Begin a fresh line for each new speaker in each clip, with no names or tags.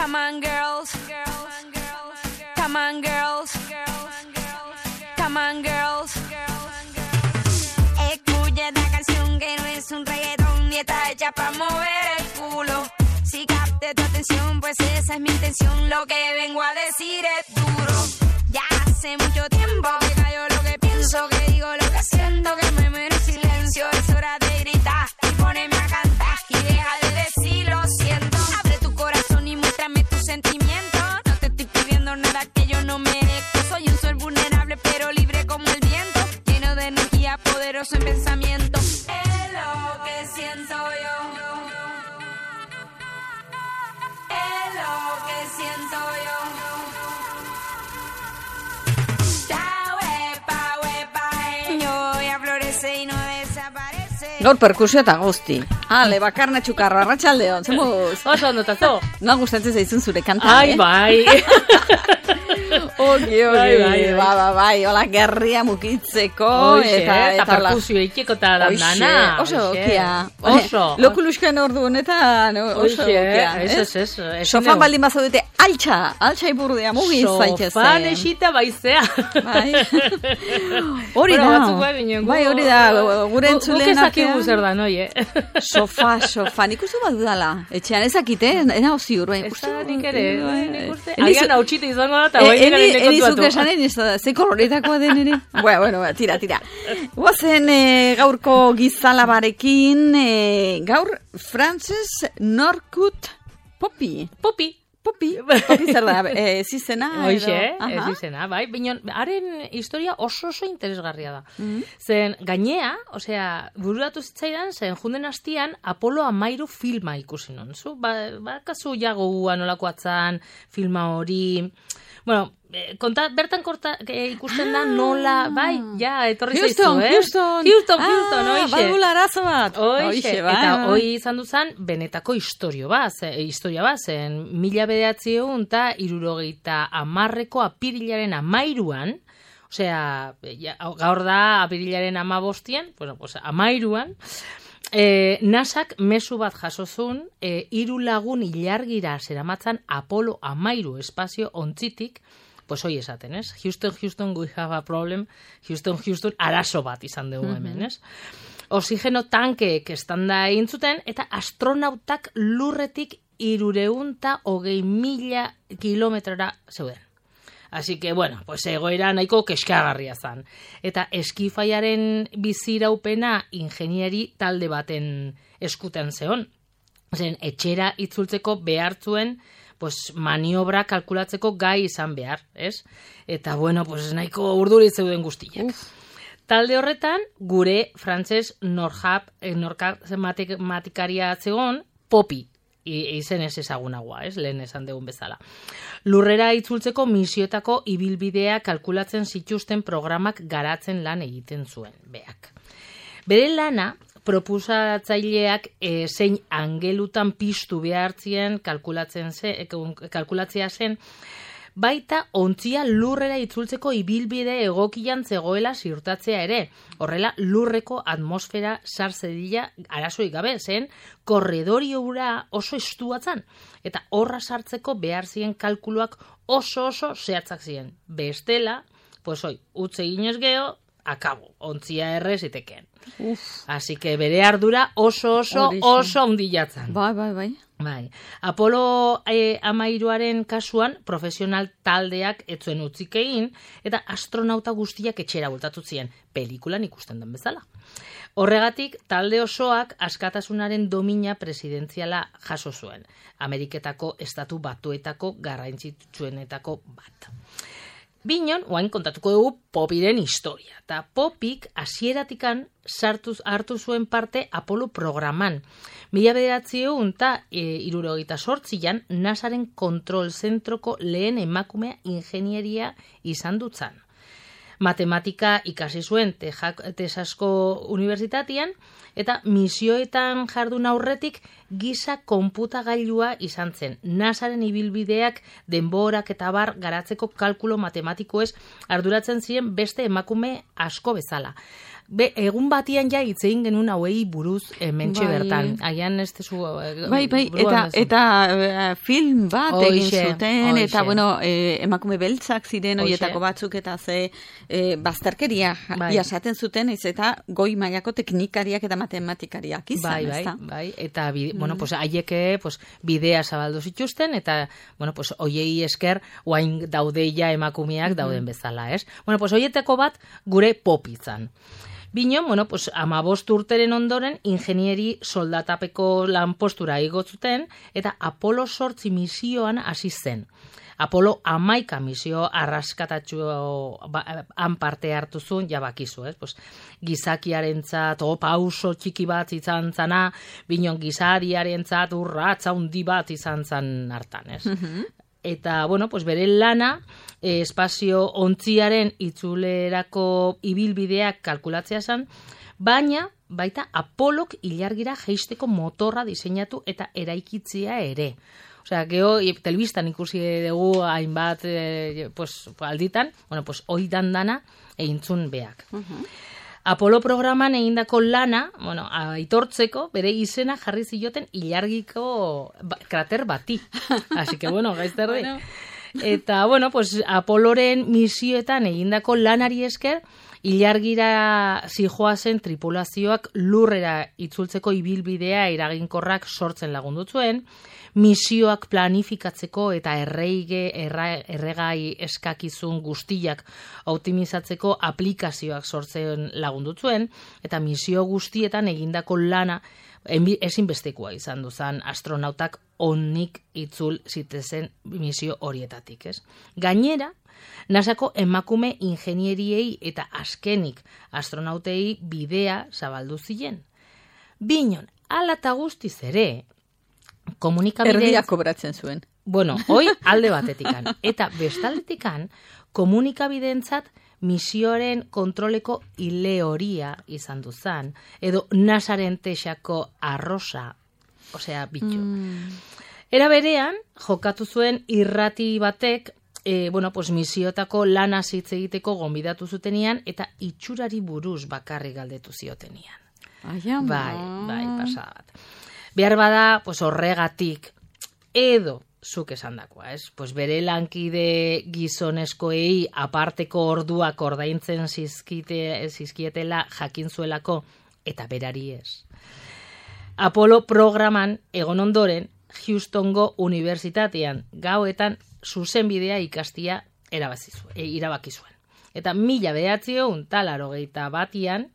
Come on, girls. Come on, girls. Come on, girls. Escucha esta canción que no es un reggaetón y está hecha para mover el culo. Si capte tu atención, pues esa es mi intención. Lo que vengo a decir es duro. Ya hace mucho tiempo que callo lo que pienso, que digo lo que siento, que me muero en silencio. Es hora de gritar y ponerme a cantar y deja de decir lo siento. Abre tu corazón y muéstrame tus sentimientos. No te estoy pidiendo nada que yo no merezco. Soy un ser vulnerable pero libre como el viento, lleno de energía, poderoso en pensamiento. Es lo que siento yo. Es lo que siento yo.
Gaur perkusio eta guzti. Ale, bakarna txukarro, arratsaldeon, zemuz.
Oso ondotazo.
No gustatzen zaizun zure kanta,
Ai, bai.
Ogi, bai, hola, gerria mukitzeko.
Eta perkusio ikiko eta dandana.
Oso okia.
Oso.
Lokulusken ordu honetan, oso okia.
Ez.
Sofan baldin bazaudete, altxa iburdia, mugiz zaitez.
Sofan esita baizea.
Bai. Hori da. Bai, hori da, gure entzulenak.
Gukezakigu zer da, noi,
Sofa, nik uste badudala. Etxean ezakite, ena ziur.
Ez da nik ere, nik uste. Agian hau txite izango da, eta hori garen nekontuatu.
Enizuk esanen, ze koloretakoa den ere. Bueno, tira. Guazen gaurko gizalabarekin, gaur Frances Norwood Poppy zer da, ez izena?
Hoxe, ez izena, bai. Baina, haren historia oso interesgarria da. Zen, gainea, bururatu zitzaidan, zen junden hastian, Apolo 13 filma ikusi non. Zu, bakazu jagoa nolako atzan, filma hori. Bueno, bertan ikusten da nola, bai, ja, etorri zaizu, Houston, oixe.
Badula arazo bat.
Oixe, eta hoi izan duzan, benetako historia bat, zen 1970ko apirilaren 13an, gaur da apirilaren 15an, bueno, pues 13an, NASAk mezu bat jasozun, 3 lagun ilargira zeramatzan Apolo 13 espazio ontzitik, pues hoi esaten, ez? Houston, we have a problem. Houston, arazo bat izan dugu hemen, ez? Oxigeno tankeek estanda egin zuten, eta astronautak lurretik 320.000 kilometrora zeuden. Así que, bueno, pues egoera nahiko keskagarria zan. Eta eskifaiaren biziraupena ingenieri talde baten eskutan zeon. Etxera itzultzeko behartzuen, pues maniobra kalkulatzeko gai izan behar, ez? Eta, bueno, pues nahiko urduri zeuden guztiak. Talde horretan, gure Frances Norwood matematikaria zegoen, Poppy, izen ez ezagunagoa, ez? Lehen esan dugun bezala. Lurrera itzultzeko misioetako ibilbidea kalkulatzen zituzten programak garatzen lan egiten zuen, beak. Bere lana, proposatzaileak zein angelutan piztu behartzien kalkulatzea zen, baita ontzia lurrera itzultzeko ibilbide egokian zegoela ziurtatzea ere. Horrela, lurreko atmosfera sartzedila arazoik gabe zen, korredorio hura oso estuatzan, eta horra sartzeko behar ziren kalkuluak oso zehatzak ziren. Bestela, pues utze ginez geho, akabo, ontzia errez itekeen. Así que bere ardura oso ondilatzen. Bai. Apolo 13aren kasuan profesional taldeak etzuen utzik egin eta astronauta guztiak etxera bultatu ziren, pelikulan ikusten den bezala. Horregatik, talde osoak askatasunaren domina presidentziala jaso zuen, Ameriketako estatu batuetako garrantzitsuenetako bat. Binon, oain kontatuko dugu Poppyren historia. Eta Poppyk hasieratikan hartu zuen parte Apolo programan. 1968an NASAren kontrol zentroko lehen emakumea ingenieria izan dutzan. Matematika ikasi zuen Texasko unibertsitatean, eta misioetan jardun aurretik giza konputagailua izan zen. NASAren ibilbideak denborak eta bar garatzeko kalkulo matematikoez arduratzen ziren beste emakume asko bezala. egun batian ja hitzein genuen hauei buruz mentxe bertan. Agian ez tezu...
Bai, eta film bat egin zuten, eta bueno, emakume beltzak ziren horietako batzuk, eta bazterkeria jasaten zuten, eta goi mailako teknikariak eta matematikariak izan, ezta?
Bai, eta bueno, pues haieke bidea zabaldu zituzten, eta bueno, pues hoiei esker oain daudeia emakumeak dauden bezala, ez? Bueno, pues hoietako bat gure Poppizan. Bino, bueno, pues 15 urteren ondoren ingenieri soldatapeko lanpostura igotzuten eta Apolo 8 misioan hasi zen. Apolo 11 misio arraskatatxu han parte hartu zuen, ja bakizu, pues, gizakiarentzat pauso txiki bat izan zana, binon gizariarentzat urratza handi bat izan zan hartan, ez? Eta, bueno, pues bere lana, espazio ontziaren itzulerako ibilbideak kalkulatzea zen, baina baita Apolok ilargira jeisteko motorra diseinatu eta eraikitzea ere. Osea, geho, telebistan ikusi dugu hainbat alditan, bueno, pues oidan dana eintzun beak. Apolo programan egindako lana, bueno, aitortzeko, bere izena jarri zioten ilargiko krater bati. Así que, bueno, gaizterdi. Eta, bueno, pues Apoloren misioetan egindako lanari esker, ilargira zijoazen tripulazioak lurrera itzultzeko ibilbidea eraginkorrak sortzen lagundutzuen, misioak planifikatzeko eta erregai eskakizun guztiak optimizatzeko aplikazioak sortzen lagundutzuen, eta misio guztietan egindako lana ezinbestekoa izan duzan astronautak onik itzul zitezen misio horietatik, ez? Gainera, NASAko emakume ingenieriei eta azkenik astronautei bidea zabaldu ziren. Binon, ala eta guztiz ere,
erdia kobratzen zuen.
Bueno, hoi alde batetikan. Eta bestaldetikan, komunikabideentzat misioaren kontroleko ileoria izan duzan, edo NASAren texako arrosa, osea, bitu. Era berean, jokatu zuen irrati batek, bueno, pues misiotako lana hitz egiteko gonbidatu zutenian, eta itxurari buruz bakarrik galdetu ziotenian. Bai, pasabat. Behar bada, pues horregatik, edo zuk esandakoa, ez? Pues bere lankide gizonezkoei aparteko orduak ordaintzen zizkietela jakin zuelako, eta berari ez. Apolo programan egon ondoren, Houstongo Unibertsitatean gauetan zuzenbidea ikastia irabaki zuen. Eta 1981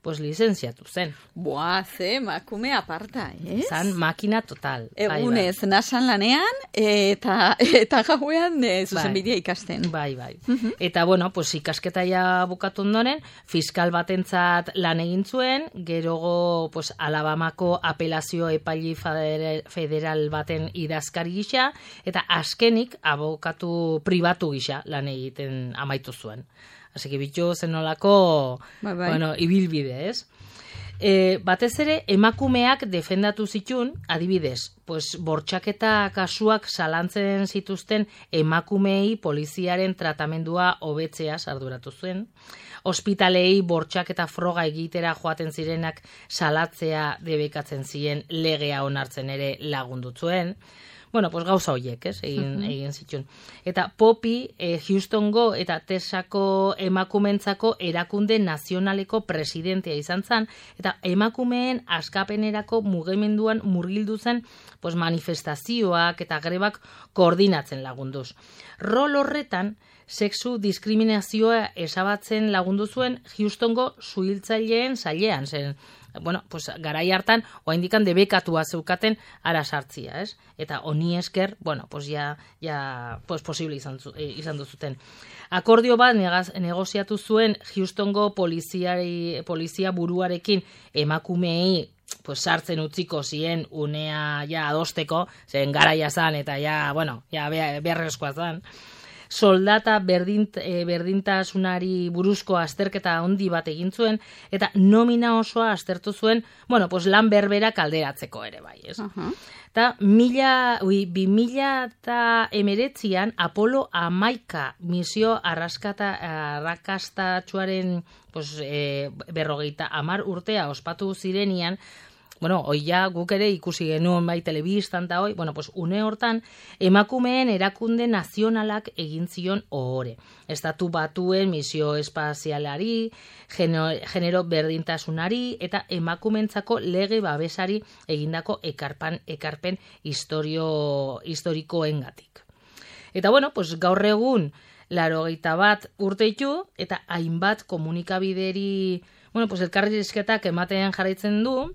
pues lizenziatu zen.
Boa, ze, makume aparta, ez?
Zan makina total.
Egunez, nasan lanean, eta gauean zuzenbidea ikasten.
Bai. Eta, bueno, pues ikasketa ja bukatu ondoren, fiskal batentzat lan egin zuen, gerogo, pues, Alabamako apelazio epaili federal baten idazkari gisa, eta azkenik abokatu pribatu gisa lan egiten amaitu zuen. Así que bitu zenolako, bueno, ibilbide, ez? Batez ere, emakumeak defendatu zitun, adibidez, pues, bortxaketa kasuak zalantzen zituzten emakumeei poliziaren tratamendua hobetzea arduratu zuen. Ospitalei bortxaketa froga egitera joaten zirenak salatzea debekatzen ziren legea onartzen ere lagundu zuen. Bueno, pues gauza horiek, ez, egin zituen. Eta Poppy, Houstongo eta Texasako emakumentzako erakunde nazionaleko presidentea izan zen, eta emakumeen askapenerako mugimenduan murgildu zen pues, manifestazioak eta grebak koordinatzen lagunduz. Rol horretan, sexu diskriminazioa esabatzen lagundu zuen Houstongo suhiltzaileen sailean zen. Bueno, pues garai hartan oraindikan debekatua zeukaten ara sartzia, ez? Eta honi esker, bueno, pues ja pues posible izan duzuten. Akordio bat negoziatu zuen Houstongo polizia buruarekin emakumeei pues sartzen utziko zien unea ja adosteko, zen garaia zan eta ja, bueno, ja beharrezkoa zan. soldata berdintasunari buruzko azterketa handi bat egin zuen, eta nomina osoa aztertu zuen, lan berberak alderatzeko ere bai, ez? Eta 2019an Apolo 11 misio arrakastatsuaren 50 urtea ospatu zirenian, oia guk ere ikusi genuen bai telebistan eta une hortan emakumeen erakunde nazionalak egin zion ohore. Estatu Batuen misio espazialari, genero berdintasunari eta emakumentzako lege babesari egindako ekarpen historikoengatik. Eta gaur egun 81 urte ditu eta hainbat komunikabideri elkarrizketak ematen jarraitzen du.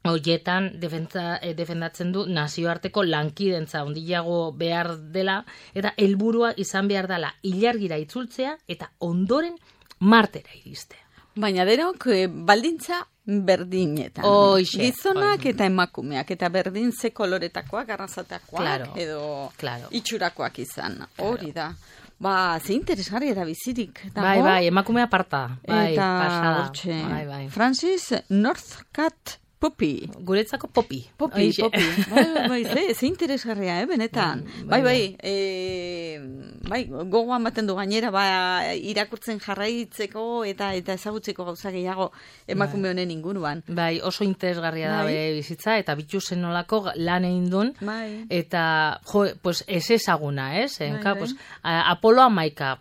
Horietan defendatzen du nazioarteko lankidentza handiago behar dela eta helburua izan behar dela ilargira itzultzea eta ondoren Martera iristea.
Baina denok baldintza berdinetan. Gizonak eta emakumeak eta berdin ze koloretakoak, arrazatakoak edo itxurakoak izan. Hori da. Ze interesgarri da bizirik.
Bai, emakumea aparta.
Eta Francis Northcutt Poppy.
Guretzako Poppy.
Poppy. Ze interesgarria, benetan. Bai, gogoan baten du gainera, irakurtzen jarraitzeko eta ezagutzeko gauza gehiago emakume honen inguruan.
Bai, oso interesgarria da bizitza, eta bitxusen nolako lan egin duen, eta, ez ezaguna, ez? Apolo 11,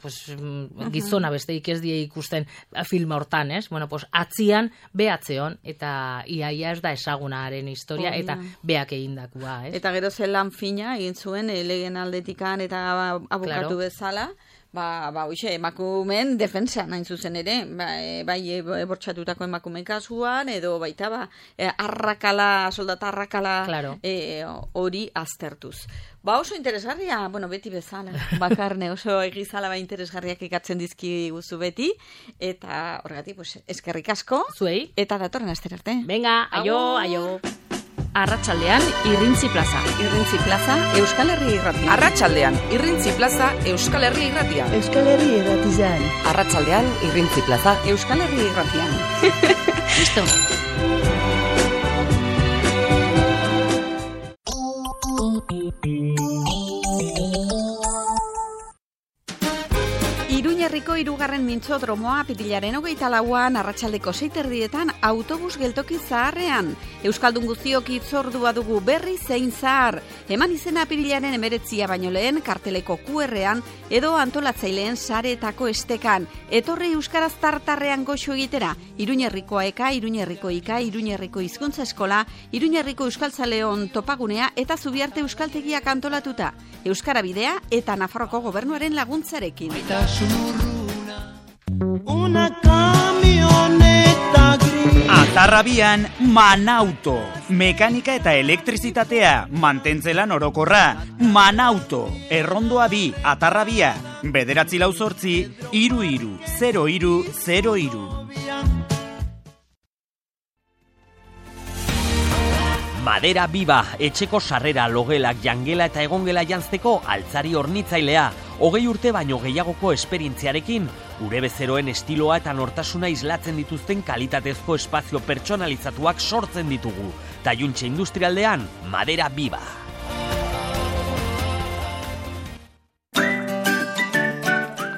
gizona besteik ez die ikusten filma hortan, ez? Atzian, behatzeon, eta iaia ez da ezagunaren historia eta beak egindakoa, ez?
Eta gero zelan fina egin zuen legen aldetikan eta abokatu bezala, emakumeen defensa nahin zuzen ere, bai bortxatutako emakume kasuan, edo baita soldata arrakala hori aztertuz. Oso interesgarria, beti bezala, bakarne oso egizala interesgarriak ikatzen dizki guzu beti, eta horregatik, eskerrik asko,
zuei,
eta datorren astera arte.
Venga, aio.
Arratsaldean Irrintzi Plaza.
Irrintzi Plaza, Euskal Herri Irratia.
Arratsaldean Irrintzi Plaza, Euskal Herri Irratia.
Euskal Herri Irratian.
Arratsaldean Irrintzi Plaza,
Euskal Herri Irratian.
Listo.
Iruñerriko 3. mintzodromoa apirilaren 24an arratsaldeko 6:30 autobus geltoki zaharrean. Euskaldun guztiok hitzordua dugu berri zein zahar. Eman izena apirilaren 19 baino lehen karteleko QR-an edo antolatzaileen sareetako estekan. Etorri euskaraz tartarrean goxo egitera. Iruñerriko eka, Iruñerriko ika, Iruñerriko hizkuntza eskola, Iruñerriko euskaltzaleon topagunea eta Zubiarte euskaltegiak antolatuta. Euskara bidea eta Nafarroko gobernuaren laguntzarekin.
Una camioneta gris.
Atarrabian Manauto. Mekanika eta elektrizitatea, mantentzelan orokorra. Manauto. Errondoa 2, Atarrabia. 948 330303.
Madera Biba, etxeko sarrera, logelak, jangela eta egongela jantzteko altzari hornitzailea. 20 urte baino gehiagoko esperientziarekin, gure bezeroen estiloa eta nortasuna islatzen dituzten kalitatezko espazio pertsonalizatuak sortzen ditugu. Taiuntxe industrialdean, Madera Biba.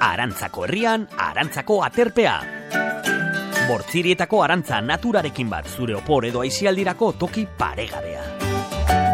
Arantzako herrian, Arantzako aterpea. Bortzirietako arantza naturarekin bat, zure opor edo aisialdirako toki paregabea.